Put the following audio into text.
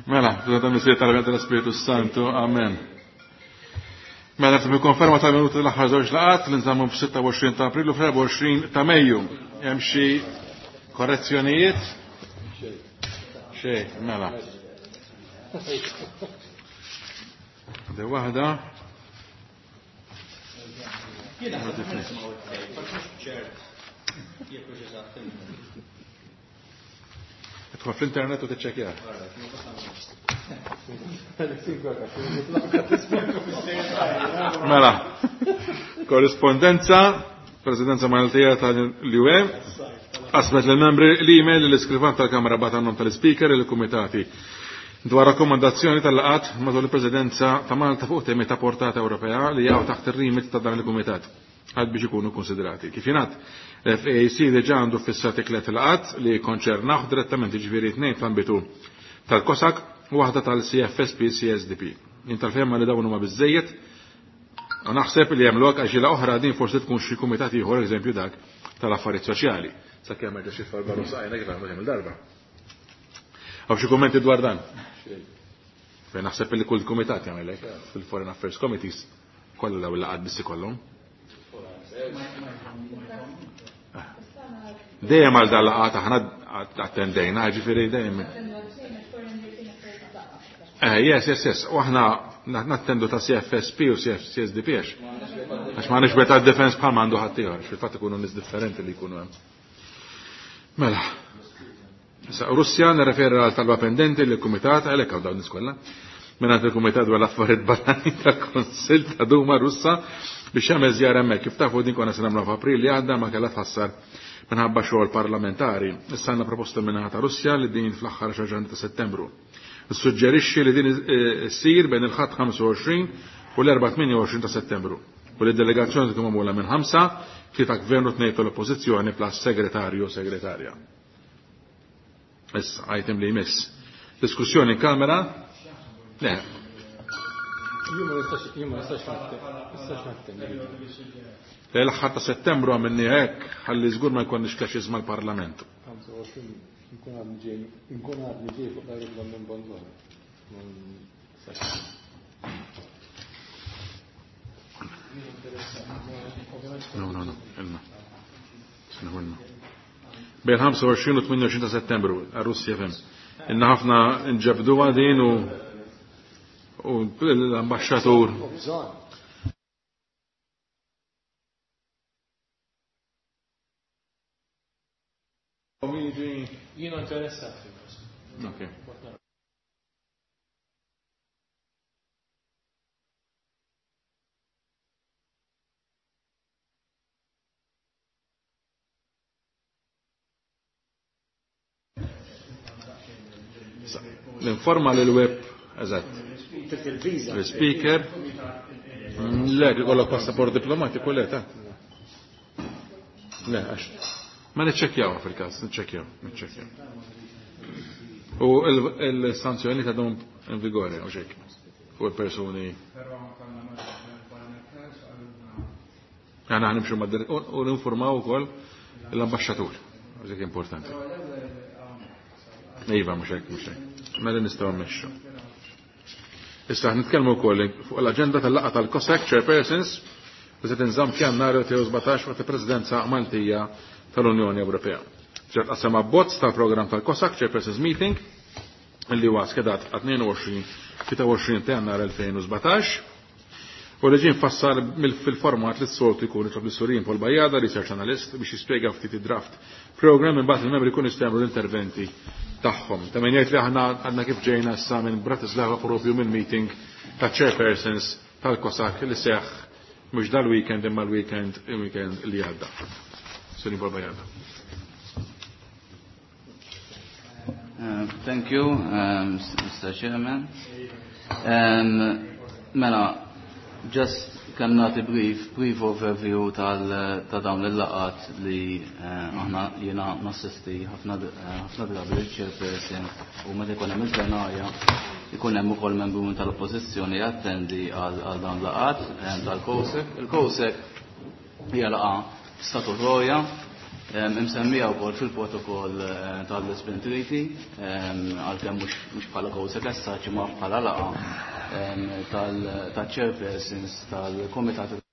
Mela, tal-Missier tal-Spiritu Santu, amen. Mela, nifhem konferma tal-minuti l-aħħar żewġ laqat li nżammu f-26 ta' April u f-24 ta' Mejju. Hemm xi korrezzjonijiet? Xejn, mela. De waħda. Idħol fl-internet u tiċċekkja. Mela, korrispondenza, Presidenza Maltija tal-UE, qasmet lill-membri l-email li l-iskrivan tal-Kamra bagħat għan-nom tal-Ispeaker lill-Kumitati dwar rakkomandazzjoni tal-laqgħat matul il-Presidenza ta' Malta fuq temi ta' portata Ewropea li jaqgħu taħt ir-remit ta' dan il-Kumitat għad biex ikunu konsiderati. Kif jingħad, l-FAC diġà għandu ffissati tliet laqgħat li jikkonċernawh direttament, jiġifieri tnejn fl-ambitu tal-COSAC u waħda tal-CFSP-CSDP. Jien tal-fehma li dawn huma biżżejjed u naħseb li hemm lok għal xi laqgħa oħra din forsi tkun xi kumitat ieħor eżempju dak tal-affarijiet soċjali. Sakemm ma ġiex jitfal barru saqajna kif għamlu kemm il-darba. Hawn xi kummenti dwar dan? Fejn naħseb li kull kumitat jagħmel hekk fil-Foreign Affairs Committees kollha dawn il-laqgħat biss ikollhom. Dejjem għal dan laqgħat aħna attendejna, ġifieri dejjem. Eh, yes, yes, yes. U aħna nattendu ta' CFSP u CSDP għax. Għax ma nix beta defense bħal ma għandu ħaddieħor, fil-fatt ikunu nies differenti li jkunu hemm. Mela. Issa, Russja nirreferi għal talba pendenti lill kumitat għalhekk hawn dawn nies kollha. Mingħand il-Kumitat dwar l-Affarijiet Barranin tal-Kunsill ta' Duma Russa biex jagħmel żjara hemmhekk. Kif tafu din konna se nagħmluha f'April li għadda ma kellha tħassar minħabba xogħol parlamentari. Issa għandna proposta min-naħa ta' Russja li din fl-aħħar xahar ġranet ta' Settembru. Nissuġġerixxi li din issir bejn il-Ħadd 25 u l-Erbgħa 28 ta' Settembru u li d-delegazzjoni tkun magħmula minn ħamsa, tlieta Gvern u tnejn tal-Oppożizzjoni plus segretarju u segretarja. Issa, item li jmiss. Diskussjoni in kamera? Le. Jien ma nistax jien ma nistax nistax nattendi. Le l-aħħar ta' Settembru għamilni hekk ħalli żgur ma jkollniex clashes mal-Parlament. 25 nkun għadni ġej nkun għadni ġej fuq l-ajruplan minn Bolzano. No, no, no, ilna. Ilna. Bejn 25 u 28 ta' Settembru, għar-Russja fem. Inna ħafna nġabdu din u l-ambasċatur. Jiena interessat. Okay. L-informa l-web, eżatt. L-speaker. Le, ikollok passaport diplomatiku, le, ta' Le, għax. Ma niċċekkjaw fil-każ, niċċekkjaw, niċċekkjaw. U il-sanzjoni ta' dum in vigore, u xek, fuq il-persuni. Għana ħanimxu mad u ninformaw ukoll l-ambasċatur, dik importanti. Iva, mhux hekk, mhux hekk. Mela nistgħu mmexxu. Issa nitkellmu wkoll fuq l-aġenda tal-laqgħa tal-COSAC Chairpersons li se tinżamm f'Jannar 2017 waqt il-Presidenza Maltija tal-Unjoni Ewropea. Ġert qasam abbozz tal-programm tal-COSAC Chairpersons Meeting li huwa skedat għat 22-23 ta' Jannar 2017 u li ġie mfassal fil-format li s-soltu jkun jitlob lis-Surin Paul Bajada, research analyst, biex jispjega ftit id-draft program imbagħad il-membri jkunu jistgħu jagħmlu l-interventi tagħhom. Ta' min jgħid li aħna għadna kif ġejna issa minn Bratislava propju minn meeting ta' chairpersons tal-COSAC li seħħ mhux dal-weekend imma l-weekend il-weekend li għadda. Surin Paul Bajada. Thank you, Mr. Chairman. Mela, just kemm nagħti brief overview ta' dawn il-laqat li aħna jiena nassisti ħafna drabi l-chairperson u meta jkun hemm il-plenarja jkun hemm ukoll membru tal-oppożizzjoni jattendi għal dawn laqat tal-COSEC. Il-COSEC hija laqgħa statutorja. Imsemmija wkoll fil-protokoll tal-Lisbon Treaty, għalkemm mhux bħala COSAC as such imma bħala laqgħa tal-chairpersons tal-Komitat.